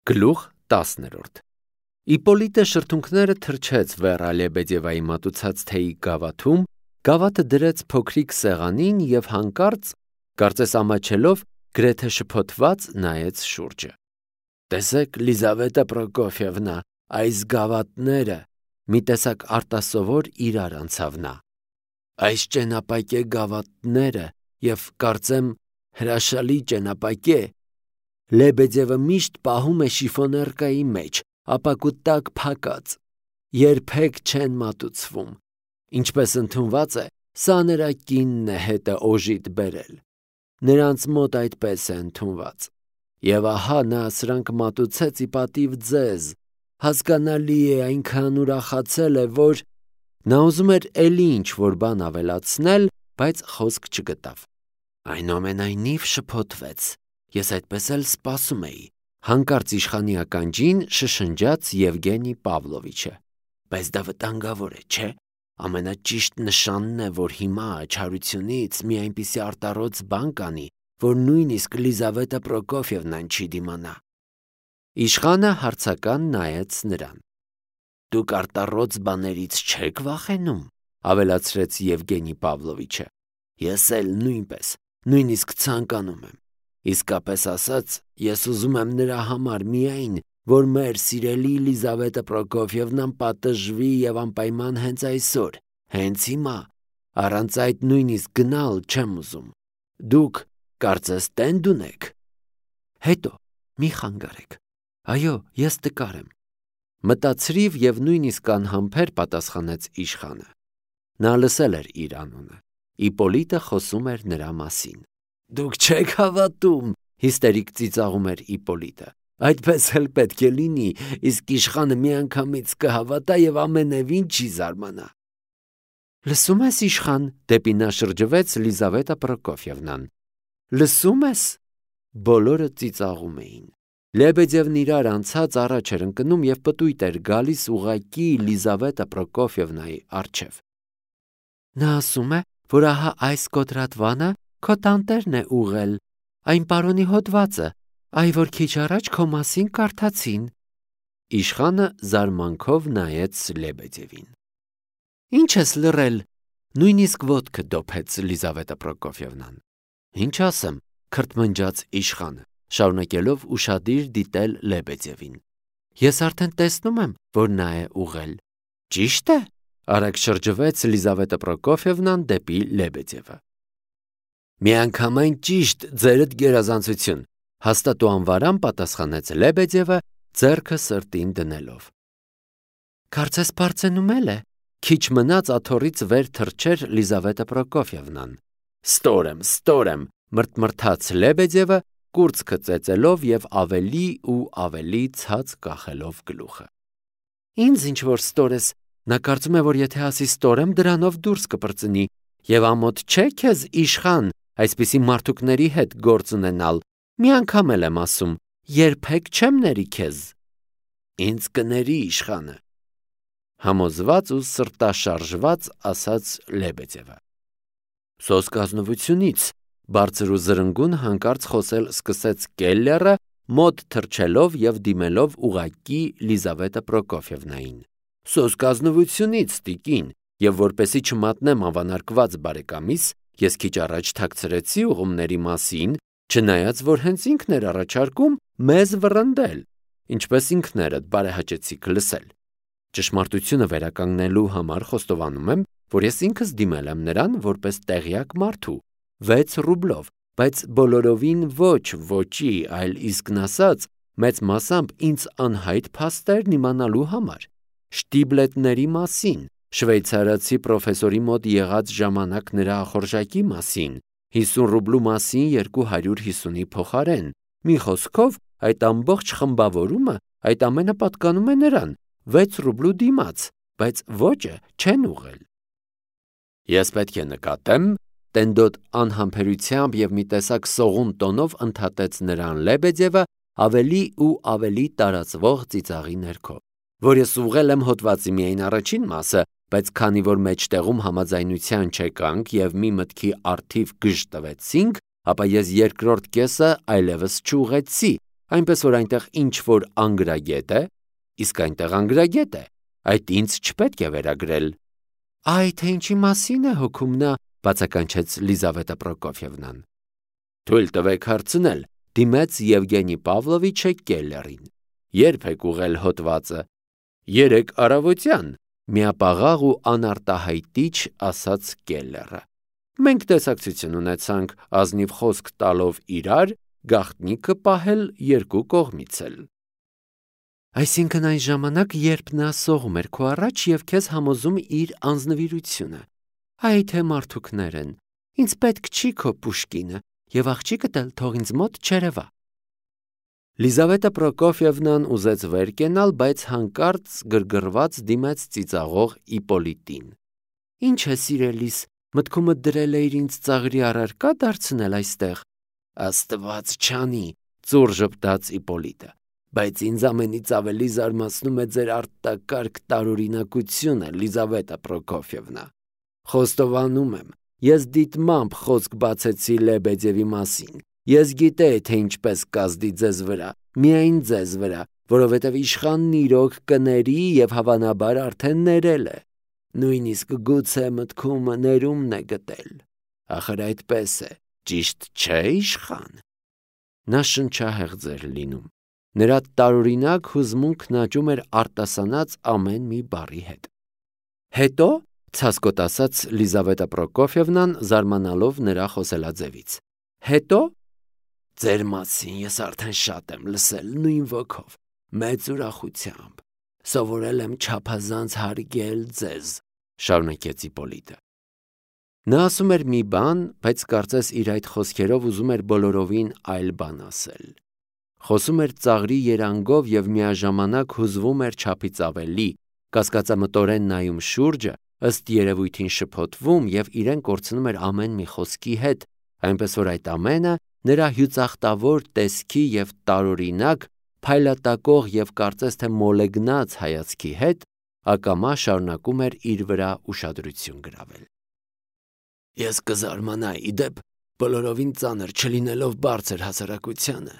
Գլուխ 10 Իպոլիտը շրթունքները թրջեց Վերա Լեբեդևայի մատուցած թեյի գավաթում, գավաթը դրեց փոքրիկ սեղանին և հանկարծ, կարծես ամաչելով, գրեթե շփոթված նայեց շուրջը։ «Տեսեք, Լիզավետա Պրոկոֆիևնա, այս գավաթները», մի տեսակ արտասովոր իրար անցավ նա։ «Այս ճենապակե գավաթները և կարծեմ հրաշալի ճենապակե։ Լեբեդևը միշտ պահում է շիֆոներկայի մեջ, ապակու տակ փակած, երբեք չեն մատուցվում։ Ինչպես ընդունված է, սա նրա կինն է հետը օժիտ բերել։ Նրանց մոտ այդպես է ընդունված։ Եվ ահա նա սրանք մատուցեց ի պատիվ ձեզ։ Հասկանալի է, այնքան ուրախացել է, որ…» Նա ուզում էր էլի ինչ-որ բան ավելացնել, բայց խոսք չգտավ։ «Այնուամենայնիվ շփոթվեց, ես այդպես էլ սպասում էի», հանկարծ իշխանի ականջին շշնջաց Եվգենի Պավլովիչը։ «Բայց դա վտանգավոր է, չէ՞։ Ամենաճիշտ նշանն է, որ հիմա չարությունից մի այնպիսի արտառոց բան կանի, որ նույնիսկ Լիզավետա Պրոկոֆիևնան չի դիմանա»։ Իշխանը հարցական նայեց նրան։ «Դուք արտառոց բաներից չեք վախենում», ավելացրեց Եվգենի Պավլովիչը։ «Ես էլ նույնպես, նույնիսկ ցանկանում եմ։ Իսկապես ասած, ես ուզում եմ նրա համար միայն, որ մեր սիրելի Լիզավետա Պրոկոֆիևնան պատժվի և անպայման հենց այսօր, հենց հիմա, առանց այդ նույնիսկ գնալ չեմ ուզում։ Դուք կարծես տենդ ունեք»։ «Հետո, մի խանգարեք։ Այո, ես տկար եմ», մտածրիվ և նույնիսկ անհամբեր պատասխանեց իշխանը։ Նա լսել էր իր անունը։ Իպոլիտը խոսում էր նրա մասին։ «Դուք չեք հավատում», հիստերիկ ծիծաղում էր Իպոլիտը։ «Այդպես էլ պետք է լինի, իսկ իշխանը միանգամից կհավատա և ամենևին չի զարմանա»։ «Լսում ես, իշխան», դեպի նա շրջվեց Լիզավետա Պրոկոֆիևնան։ «Լսում ես»։ Բոլորը ծիծաղում էին։ Լեբեդևն իրար անցած առաջ էր ընկնում և պտույտ էր գալիս ուղղակի Լիզավետա Պրոկոֆիևնայի առջև։ «Նա ասում է, որ ահա այս կոտրատվանը քո տանտերն է ուղղել, այն պարոնի հոդվածը, այ որ քիչ առաջ քո մասին կարդացին»։ Իշխանը զարմանքով նայեց Լեբեդևին։ «Ինչ ես լռել», նույնիսկ ոտքը դոփեց Լիզավետա Պրոկոֆիևնան։ «Ինչ ասեմ», քրթմնջաց իշխանը, շարունակելով ուշադիր դիտել Լեբեդևին։ «Ես արդեն տեսնում եմ, որ նա է ուղղել»։ «Ճի՞շտ է», արագ շրջվեց Լիզավետա Պրոկոֆիևնան դեպի Լեբեդևը։ «Միանգամայն ճիշտ, ձերդ գերազանցություն», հաստատ ու անվարան պատասխանեց Լեբեդևը, ձեռքը սրտին դնելով։ «Կարծես բարձենում է», քիչ մնաց աթոռից վեր թռչեր Լիզավետա Պրոկոֆիևնան։ Ստոր եմ, մրթմրթաց Լեբեդևը, կուրծքը ծեծելով և ավելի ու ավելի ցած կախելով գլուխը։ «Ինձ ինչ որ ստոր ես, նա կարծում է, որ եթե ասի ստոր եմ, դրանով դուրս կպրծնի, և ամոթ չէ քեզ, իշխան, այսպիսի մարդուկների հետ գործ ունենալ, մի անգամ էլ եմ ասում, երբեք չեմ ների քեզ»։ «Ինձ կների, իշխանը», համոզված ու սրտաշարժված ասաց Լեբեդևը։ «Սոսկազնվությունից», բարձր ու զրնգուն հանկարծ խոսել սկսեց Կելլերը, մոտ թռչելով և դիմելով ուղղակի Լիզավետա Պրոկոֆիևնային։ «Սոսկազնվությունից, տիկին, և որպեսզի չմատնեմ անվանարկված բարեկամիս, ես քիչ առաջ թաքցրեցի ուղումների մասին, չնայած որ հենց ինքն էր առաջարկում մեզ վռնդել, ինչպես ինքներդ բարեհաճեցիք լսել։ Ճշմարտությունը վերականգնելու համար խոստովանում եմ, որ ես ինքս դիմել եմ նրան որպես տեղյակ մարդու, 6 ռուբլով, բայց բոլորովին ոչ ոճի, այլ իսկն ասած, մեծ մասամբ ինձ անհայտ փաստերն իմանալու համար, շտիբլետների մասին, շվեյցարացի պրոֆեսորի մոտ եղած ժամանակ նրա ախորժակի մասին, 50 ռուբլու մասին 250-ի փոխարեն, մի խոսքով, այդ ամբողջ խմբավորումը, այդ ամենը պատկանում է նրան, 6 ռուբլու դիմաց, բայց ոճը չեն ուղղել։ Ես պետք է նկատեմ, տենդոտ անհամբերությամբ և մի տեսակ սողուն տոնով ընդհատեց նրան Լեբեդևը ավելի ու ավելի տարածվող ծիծաղի ներքո, որ ես ուղղել եմ հոդվածի միայն առաջին մասը, բայց քանի որ մեջտեղում համաձայնության չեկանք և մի մտքի առթիվ գժ տվեցինք, ապա ես երկրորդ կեսը այլևս չուղղեցի, այնպես որ այնտեղ ինչ-որ անգրագետ է, իսկ այնտեղ անգրագետ է, այդ ինձ չպետք է վերագրել։ Այ թե ինչի մասին է հոգում նա, բացականչեց Լիզավետա Պրոկոֆիևնան։ Թույլ տվեք հարցնել, դիմեց Եվգենի Պավլովիչը կելլերին։ Երբ եք ուղղել հոդվածը։ Երեկ առավոտյան, միապաղաղ ու անարտահայտիչ ասաց կելլերը։ Մենք տեսակցություն ունեցանք ազնիվ խոսք տալով իրար, գաղտնիքը պահել երկու կողմից էլ։ Այսինքն այն ժամանակ, երբ նա սողում էր քո առաջ և քեզ համոզում իր անձնվիրությունը։ Այ թե մարդուկներ են, ինձ պետք չի քո Պուշկինը, և աղջիկդ էլ թող ինձ մոտ չերևա։ Լիզավետա Պրոկոֆիևնան ուզեց վեր կենալ, բայց հանկարծ գրգռված դիմեց ծիծաղող Իպոլիտին։ Ինչ է սիրելիս, մտքումդ դրել էիր ինձ ծաղրի առարկա դարձնել այստեղ։ Աստված չանի, ծուռ ժպտաց Իպոլիտը, բայց ինձ ամենից ավելի զարմացնում է ձեր արտակարգ տարօրինակությունը, Լիզավետա Պրոկոֆիևնա։ Խոստովանում եմ, ես դիտմամբ խոսք բացեցի Լեբեդևի մասին։ Ես գիտեի, թե ինչպես կազդի ձեզ վրա, միայն ձեզ վրա, որովհետև իշխանն իրոք կների և հավանաբար արդեն ներել է։ Նույնիսկ գուցե մտքում ներումն է գտել։ Ախր այդպես է, ճիշտ չէ իշխան։ Նա շնչահեղձ էր լինում։ Նրա տարօրինակ հուզմունքն աճում էր արտասանած ամեն մի բառի հետ։ Հետո, ցասկոտ ասաց Լիզավետա Պրոկոֆիևնան, զարմանալով նրա խոսելաձևից։ Հետո ձեր մասին ես արդեն շատ եմ լսել նույն ոգով, մեծ ուրախությամբ, սովորել եմ չափազանց հարգել ձեզ, շարունակեց Իպոլիտը։ Նա ասում էր մի բան, բայց կարծես իր այդ խոսքերով ուզում էր բոլորովին այլ բան ասել։ Խոսում էր ծաղրի երանգով և միաժամանակ հուզվում էր չափից ավելի, կասկածամտորեն նայում շուրջը, ըստ երևույթին շփոթվում և իրեն կորցնում էր ամեն մի խոսքի հետ, այնպես որ այդ ամենը նրա հյուծախտավոր տեսքի և տարօրինակ, փայլատակող և կարծես թե մոլեգնած հայացքի հետ ակամա շարունակում էր իր վրա ուշադրություն գրավել։ Ես կզարմանայի, ի դեպ, բոլորովին ծանր չլինելով բարձր հասարակությանը,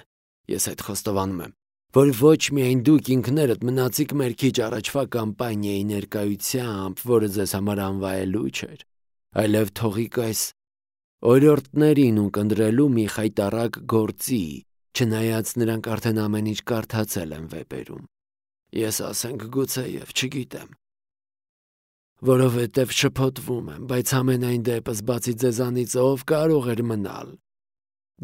ես այդ խոստովանում եմ, որ ոչ միայն դուք ինքներդ մնացիք մեր քիչ առաջվա կամպանիայի ներկայությամբ, որը ձեզ համար անվայելու չէր, այլև թողիկ այս օրիորդներին ունկնդրելու մի խայտառակ գործի, չնայած նրանք արդեն ամեն ինչ կարդացել են վեպերում։ Ես ասենք գուցե և չգիտեմ, որովհետև շփոթվում եմ, բայց ամենայն դեպս բացի ձեզանից ով կարող էր մնալ։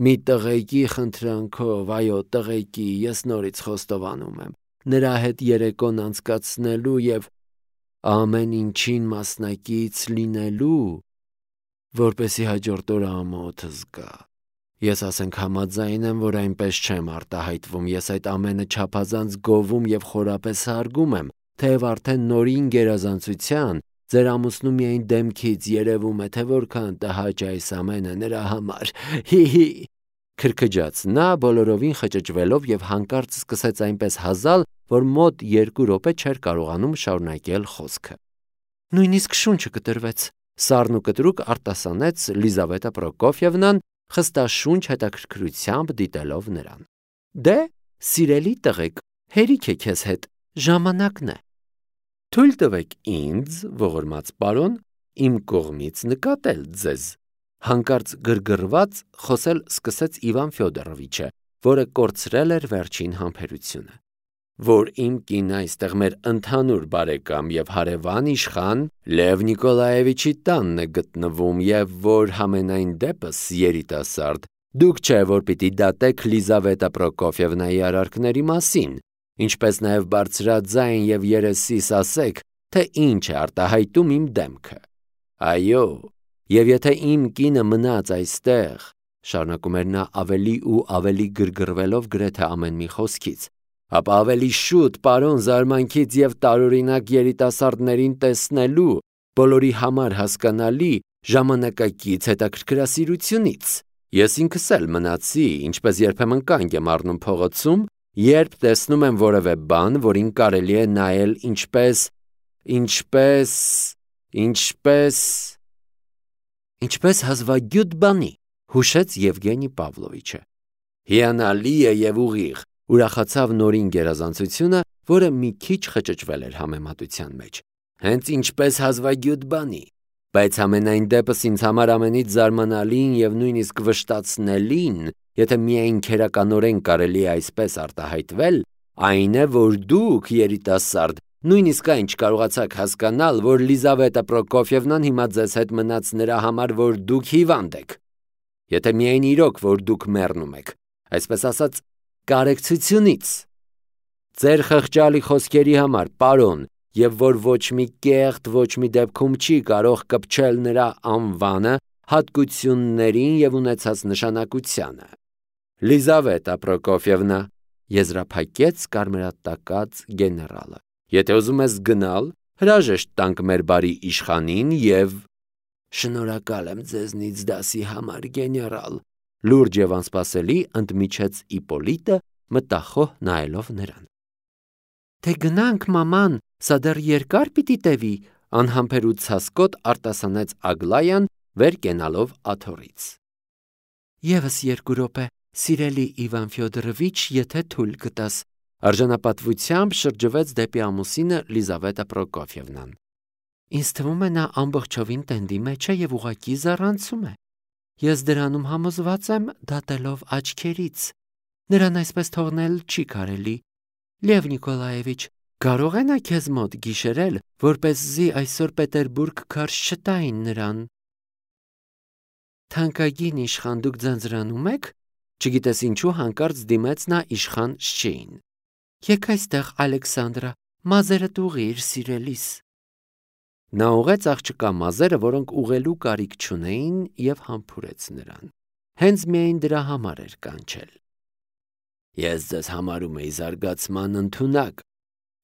Մի տղեկի խնդրանքով, այո, տղեկի, ես նորից խոստովանում եմ, նրա հետ երեկոն անցկացնելու և ամեն ինչին մասնակից լինելու, որպեսզի հաջորդ օրը ամոթս գա։ Ես ասենք համաձայն եմ, որ այնպես չեմ արտահայտվում, ես այդ ամենը չափազանց գովում և խորապես հարգում եմ, թեև արդեն նորին գերազանցության ձեր ամուսնու միայն դեմքից երևում է, թե որքան տհաճ է այս ամենը նրա համար, հի, քրքջաց նա բոլորովին խճճվելով և հանկարծ սկսեց այնպես հազալ, որ մոտ 2 րոպե չէր կարողանում շարունակել խոսքը։ Նույնիսկ շունչը կտրվեց, սառն ու կտրուկ արտասանեց Լիզավետա Պրոկոֆիևնան, խստաշունչ հետաքրքրությամբ դիտելով նրան։ Դե, սիրելի տղեկ, հերիք է քեզ հետ, ժամանակն է։ Թույլ տվեք ինձ, ողորմած պարոն, իմ կողմից նկատել ձեզ։ Հանկարծ գրգռված խոսել սկսեց Իվան Ֆյոդորովիչը, որը կորցրել էր վերջին համբերությունը։ Որ իմ կինը այստեղ մեր ընդհանուր բարեկամ և հարևան իշխան Լև Նիկոլաևիչի տանն է գտնվում և որ համենայն դեպս երիտասարդ, դուք չէ, որ պիտի դատեք Լիզավետա Պրոկոֆիևնայի արարքների մասին, ինչպես նաև բարձրաձայն և երեսիս ասեք, թե ինչ է արտահայտում իմ դեմքը։ Այո, և եթե իմ կինը մնաց այստեղ, շարունակում էր նա ավելի ու ավելի գրգռվելով գրեթե ամեն մի խոսքից, ապա ավելի շուտ պարոն զարմանքից և տարօրինակ երիտասարդներին տեսնելու, բոլորի համար հասկանալի, ժամանակակից հետաքրքրասիրությունից։ Ես ինքս էլ մնացի, ինչպես երբեմն կանգ եմ առնում փողոցում, երբ տեսնում եմ որևէ բան, որին կարելի է նայել ինչպես հազվագյուտ բանի, հուշեց Եվգենի Պավլովիչը։ Հիանալի է և ուղիղ, Ուրախացավ նորին գերազանցությունը, որը մի քիչ խճճվել էր համեմատության մեջ։ Հենց ինչպես հազվագյուտ բանի։ Բայց ամենայն դեպս ինձ համար ամենից զարմանալին եւ նույնիսկ վշտացնելին, եթե միայն քերականորեն կարելի է այսպես արտահայտվել, այն է, որ դուք, երիտասարդ, նույնիսկ այն չկարողացաք հասկանալ, որ Լիզավետա Պրոկոֆիևնան հիմա ձեզ հետ մնաց նրա համար, որ դուք հիվանդ եք։ Եթե միայն իրոք, որ դուք մեռնում եք, այսպես ասած, կարեկցությունից։ Ձեր խղճալի խոսքերի համար, պարոն, եւ որ ոչ մի կեղտ, ոչ մի դեպքում չի կարող կպչել նրա անվանը, հատկություններին եւ ունեցած նշանակությանը։ Լիզավետա Պրոկոֆիևնա, եզրափակեց կարմրատակած գեներալը, եթե ուզում ես գնալ, հրաժեշտ տանք մեր բարի իշխանին եւ… Շնորհակալ եմ ձեզնից դասի համար, գեներալ, լուրջ եւ անսպասելի ընդմիջեց Իպոլիտը, մտախոհ նայելով նրան։ Թե գնանք, մաման, սա դեռ երկար պիտի տևի, անհամբերութ ցասկոտ արտասանեց Ագլայան, վեր կենալով աթոռից։ Եվս 2 րոպե, սիրելի Իվան Ֆյոդորովիչ, եթե թույլ կտաս, արժանապատվությամբ շրջվեց դեպի ամուսինը Լիզավետա Պրոկոֆիևնան։ Ինձ թվում է նա ամբողջովին տենդի մեջ է եւ ուղղակի զառանցում է։ Ես դրանում համոզված եմ, դատելով աչքերից։ Նրան այսպես թողնել չի կարելի։ Լև Նիկոլաևիչ, կարող է նա քեզ մոտ գիշերել, որպեսզի այսօր Պետերբուրգ քարշ չտային նրան։ Թանկագին իշխան, դուք ձանձրանում եք, չգիտես ինչու հանկարծ դիմեց նա իշխան Շչեին։ Եկ այստեղ, Ալեքսանդրա, մազերդ ուղղիր, սիրելիս։ Նա ուղեց աղջկա մազերը, որոնք ուղղելու կարիք չունեին, եւ համբուրեց նրան։ Հենց միայն դրա համար էր կանչել։ Ես ձեզ համարում էի զարգացման ընդունակ,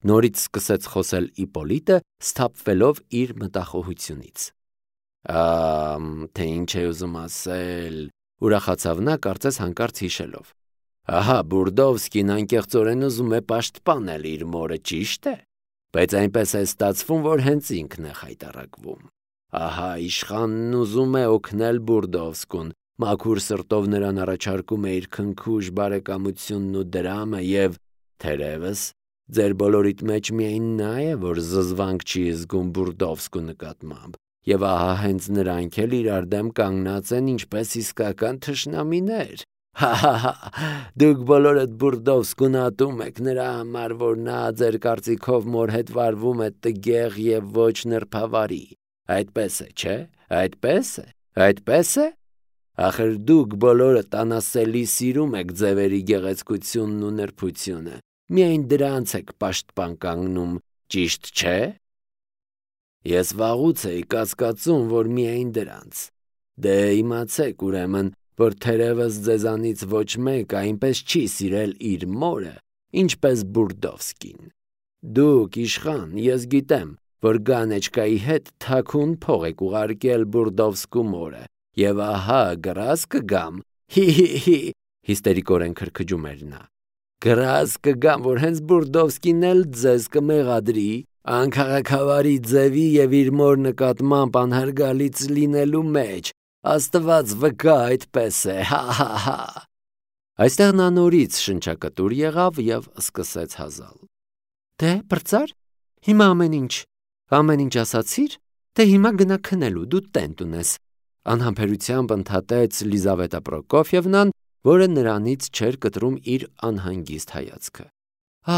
նորից սկսեց խոսել Իպոլիտը, սթափվելով իր մտախոհությունից։ Թե ինչ է ուզում ասել, ուրախացավ նա, կարծես հանկարծ հիշելով։ Ահա, Բուրդովսկին անկեղծորեն ուզում է պաշտպանել իր մորը, ճիշտ է, բայց այնպես է ստացվում, որ հենց ինքն է խայտառակվում։ Ահա, իշխանն ուզում է օգնել Բուրդովսկուն, մաքուր սրտով նրան առաջարկում է իր քնքուշ բարեկամությունն ու դրամը եւ, թերևս, ձեր բոլորիդ մեջ միայն նա է, որ զզվանք չի զգում Բուրդովսկու նկատմամբ, եւ ահա հենց նրանք էլ իրար դեմ կանգնած են ինչպես իսկական թշնամիներ։ Հա, դուք բոլորդ Բուրդովսկուն ատում եք նրա համար, որ նա ձեր կարծիքով մոր հետ վարվում է տգեղ եւ ոչ նրբավարի։ Այդպես է, չէ՞։ Այդպես է։ Ախր դուք բոլորդ անասելի սիրում եք ձևերի գեղեցկությունն ու նրբությունը։ Միայն դրանց եք պաշտպան կանգնում, ճիշտ չէ։ Ես վաղուց էի կասկածում, որ միայն դրանց։ Դե իմացեք ուրեմն, որ թերևս ձեզանից ոչ մեկ այնպես չի սիրել իր մորը, ինչպես Բուրդովսկին։ Դուք, իշխան, ես գիտեմ, որ Գանեչկայի հետ թաքուն փող եք ուղարկել Բուրդովսկու մորը, եւ ահա գրազ կգամ, հի, հիստերիկորեն քրքջում էր նա։ Գրազ կգամ, որ հենց Բուրդովսկին էլ ձեզ կմեղադրի, անքաղաքավարի ձևի եւ իր մոր նկատմամբ անհարգալից լինելու մեջ։ Աստված վկա, այդպես է, հա։ Այստեղ նա նորից շնչակտուր եղավ եւ սկսեց հազալ։ Դե, բրծար, հիմա ամեն ինչ ասացիր, դե հիմա գնա քնելու, դու տենտ ունես, անհամբերությամբ ընդհատեց Լիզավետա Պրոկոֆիևնան, որը նրանից չէր կտրում իր անհանգիստ հայացքը։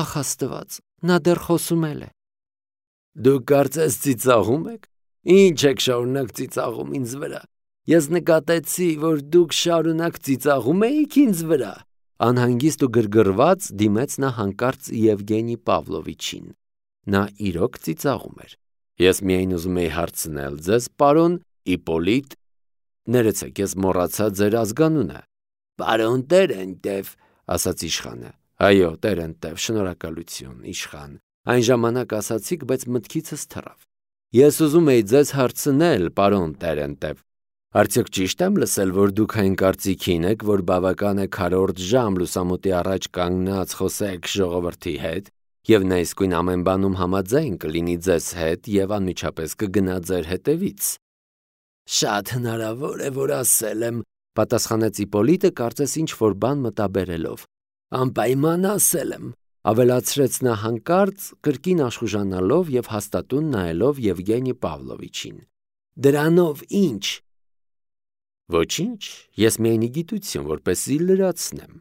Ախ, Աստված, նա դեռ խոսում է։ Դուք կարծես ծիծաղում եք։ Ինչ եք շարունակ ծիծաղում ինձ վրա։ Ես նկատեցի, որ դուք շարունակ ծիծաղում եք ինձ վրա։ Անհանգիստ ու գրգռված դիմեց նա հանկարծ Եվգենի Պավլովիչին։ Նա իրոք ծիծաղում էր։ Ես միայն ուզում էի հարցնել ձեզ, պարոն Իպոլիտ, ներեցեք, ես մոռացա ձեր ազգանունը։ Պարոն Տերենտև, ասաց իշխանը։ Այո, Տերենտև, շնորհակալություն, իշխան։ Այն ժամանակ ասացիք, բայց մտքիցս թռավ։ Ես ուզում էի ձեզ հարցնել, պարոն Տերենտև, արդյոք ճիշտ եմ լսել, որ դուք այն կարծիքին եք, որ բավական է քառորդ ժամ լուսամուտի առաջ կանգնած խոսեք ժողովրդի հետ, եւ նա իսկույն ամեն բանում համաձայն կլինի ձեզ հետ եւ անմիջապես կգնա ձեր հետևից։ Շատ հնարավոր է, որ ասել եմ, պատասխանեց Իպոլիտը, կարծես ինչ որ բան մտաբերելով։ Անպայման ասել եմ, ավելացրեց նա հանկարծ, կրկին աշխուժանալով եւ հաստատուն նայելով Եվգենի Պավլովիչին։ Դրանով ինչ։ Ոչինչ, ես միայն գիտություն, որպեսզի լրացնեմ։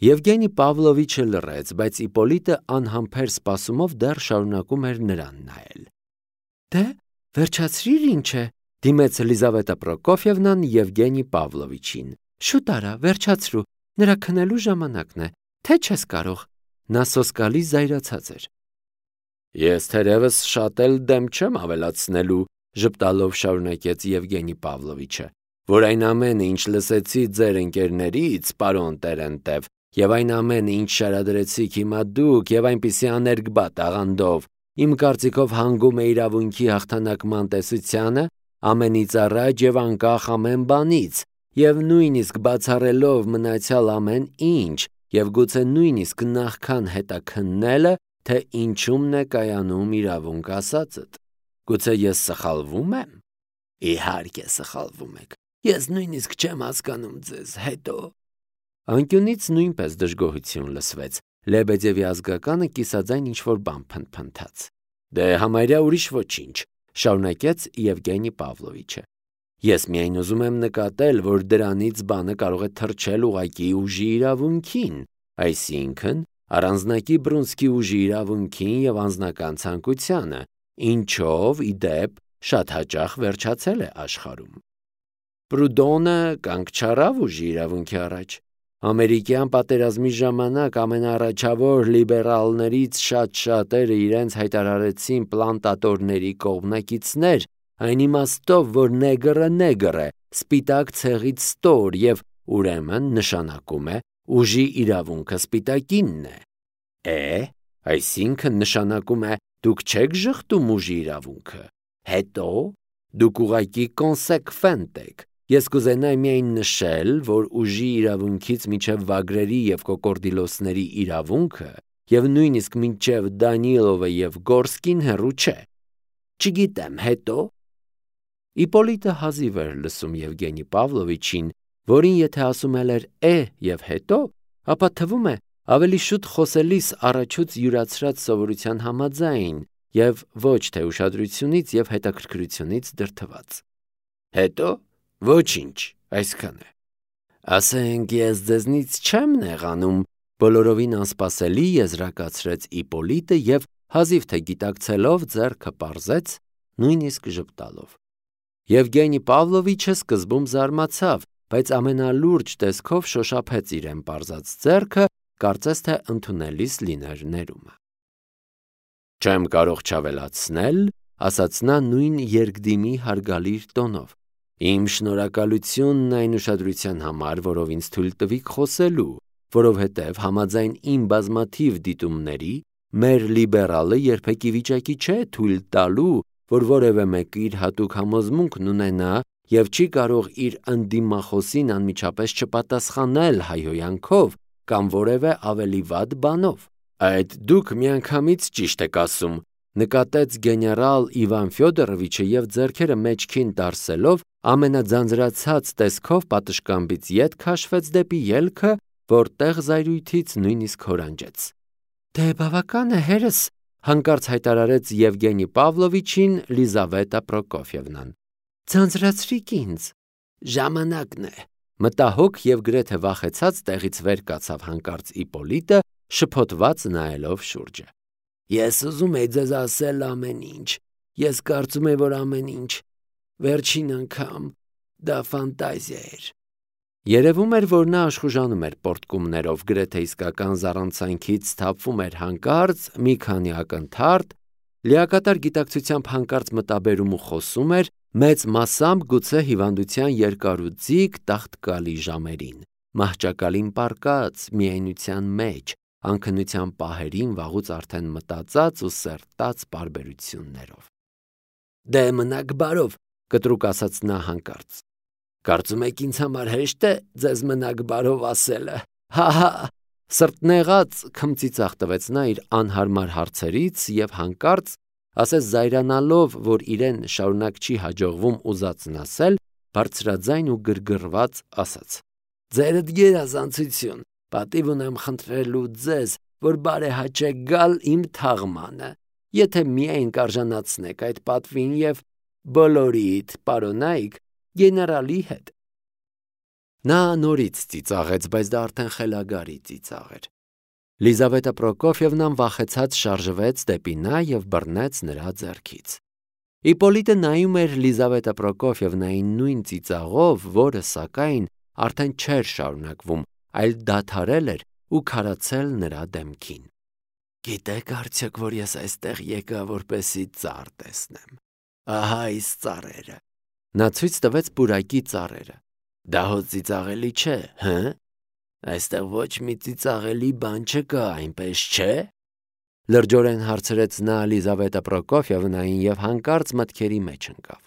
Եվգենի Պավլովիչը լռեց, բայց Իպոլիտը անհամբեր սպասումով դեռ շարունակում էր նրան նայել։ Դե, վերջացրիր ինչ է, դիմեց Լիզավետա Պրոկոֆիևնան Եվգենի Պավլովիչին։ Շուտ արա, վերջացրու, նրա քնելու ժամանակն է, թե չես կարող։ Նա սոսկալի զայրացած էր։ Ես թերևս շատ էլ դեմ չեմ ավելացնելու, ժպտալով շարունակեց Եվգենի Պավլովիչը, որ այն ամենը, ինչ լսեցի ձեր ընկերներից, պարոն Տերենտև, եւ այն ամենը, ինչ շարադրեցիք հիմա դուք, եւ այնպիսի աներկբա տաղանդով, իմ կարծիքով հանգում է իրավունքի հաղթանակման տեսությանը, ամենից առաջ եւ անկախ ամեն բանից, եւ նույնիսկ բացառելով մնացյալ ամեն ինչ, եւ գուցե նույնիսկ նախքան հետաքննելը, թե ինչումն է կայանում իրավունք ասածդ։ Գուցե ես սխալվում եմ։ Իհարկե սխալվում եք։ Ես նույնիսկ չեմ հասկանում ձեզ, հետո։ Անկյունից նույնպես դժգոհություն լսվեց։ Լեբեդևի ազգականը կիսաձայն ինչ-որ բան փնթփնթաց։ Դե համարյա ուրիշ ոչինչ, շարունակեց Եվգենի Պավլովիչը։ Ես միայն ուզում եմ նկատել, որ դրանից բանը կարող է թռչել ուղղակի ուժի իրավունքին, այսինքն առանձնակի բռունցքի ուժի իրավունքին եւ անձնական ցանկությանը, ինչով ի դեպ շատ հաճախ վերջացել է աշխարհում։ Պրուդոնը կանգ չառավ ուժի իրավունքի առաջ։ Ամերիկյան պատերազմի ժամանակ ամենաառաջավոր լիբերալներից շատ-շատերը իրենց հայտարարեցին պլանտատորների կողմնակիցներ, այն իմաստով, որ նեգրը նեգր է, սպիտակ ցեղից ստոր եւ ուրեմն նշանակում է ուժի իրավունքը սպիտակինն է։ Այսինքն նշանակում է դուք չեք ժխտում ուժի իրավունքը։ Հետո դուք ուղղակի կոնսեկվենտ եք։ Ես կուզենայի միայն նշել, որ ուժի իրավունքից մինչև վագրերի եւ կոկորդիլոսների իրավունքը եւ նույնիսկ մինչև Դանիլովը եւ Գորսկին հեռու չէ։ Չգիտեմ, հետո։ Իպոլիտը հազիվ էր լսում Եվգենի Պավլովիչին, որին եթե ասում էր եւ հետո, ապա թվում է ավելի շուտ խոսելիս առաջուց յուրացրած սովորության համաձայն եւ ոչ թե ուշադրությունից եւ հետաքրքրությունից դրդված։ Հետո ոչինչ, այսքան է։ Ասենք ես ձեզնից չեմ նեղանում, բոլորովին անսպասելի եզրակացրեց Իպոլիտը եւ հազիվ թե գիտակցելով ձեռքը պարզեց, նույնիսկ ժպտալով։ Եվգենի Պավլովիչը սկզբում զարմացավ, բայց ամենալուրջ տեսքով շոշափեց իրեն պարզած ձեռքը, կարծես թե ընդունելիս լիներ ներումը։ Չեմ կարող չավելացնել, ասաց նա նույն երկդիմի հարգալիր տոնով։ Իմ շնորհակալությունն այն ուշադրության համար, որով ինձ թույլ տվիք խոսելու, որովհետև համաձայն իմ բազմաթիվ դիտումների, մեր լիբերալը երբեք ի վիճակի չէ թույլ տալու, որ որևէ մեկը իր հատուկ համոզմունքն ունենա եւ չի կարող իր ընդդիմախոսին անմիջապես չպատասխանել հայհոյանքով կամ որևէ ավելի վատ բանով։ Այդ դուք միանգամից ճիշտ եք ասում, նկատեց գեներալ Իվան Ֆյոդորովիչը եւ ձեռքերը մեջքին տարսելով ամենաձանձրացած տեսքով պատշգամբից ետ քաշվեց դեպի ելքը, որտեղ զայրույթից նույնիսկ հորանջեց։ Դե բավական է հերս, հանկարծ հայտարարեց Եվգենի Պավլովիչին Լիզավետա Պրոկոֆիևնան։ Ձանձրացրիք ինձ։ Ժամանակն է։ Մտահոգ եւ գրեթե վախեցած տեղից վեր կացավ հանկարծ Իպոլիտը, շփոթված նայելով շուրջը։ Ես ուզում եի ձեզ ասել ամեն ինչ։ Ես կարծում եմ, որ ամեն ինչ վերջին անգամ դա ֆանտազիա էր։ Երևում էր, որ նա աշխուժանում էր պորտկումներով, գրեթե իսկական զառանցանքից թափվում էր հանկարծ, մի քանի ակնթարթ, լիակատար գիտակցությամբ հանկարծ մտաբերում ու խոսում էր, մեծ մասամբ գուցե հիվանդության երկարուձիգ տաղտկալի ժամերին, մահճակալին պառկած, միայնության մեջ, անքնության պահերին վաղուց արդեն մտածած ու սերտած պարբերություններով։ Դե մնաք բարով, կտրուկ ասաց նա հանկարծ։ Կարծում եք ինձ համար հեշտ է ձեզ մնաք բարով ասելը։ Հա, սրտնեղած քմծիծաղ տվեց նա իր անհարմար հարցերից եւ հանկարծ, ասես զայրանալով, որ իրեն շարունակ չի հաջողվում ուզածն ասել, բարձրաձայն ու գրգռված ասաց. Ձերդ գերազանցություն, Պատիվ ունեմ խնդրելու ձեզ, որ բարեհաճեք գալ իմ թաղմանը, եթե միայն կարժանացնեք այդ պատվին և բոլորիդ պարոնայք գեներալի հետ։ Նա նորից ծիծաղեց, բայց դա արդեն խելագարի ծիծաղ էր։ Լիզավետա Պրոկոֆիևնան վախեցած շարժվեց դեպի նա և բռնեց նրա ձեռքից։ Իպոլիտը նայում էր Լիզավետա Պրոկոֆիևնային նույն ծիծաղով, որը, սակայն, արդեն չէր շարունակվում, այլ դադարել էր ու քարացել նրա դեմքին։ Գիտեք արդյոք, որ ես այստեղ եկա, որպեսզի ծառ տեսնեմ։ Ահա այս ծառերը։ Նա ցույց տվեց պուրակի ծառերը։ Դա հո ծիծաղելի չէ, հը՞։ Այստեղ ոչ մի ծիծաղելի բան չկա, այնպես չէ։ Լրջորեն հարցրեց նա Լիզավետա Պրոկոֆիևնային և հանկարծ մտքերի մեջ ընկավ։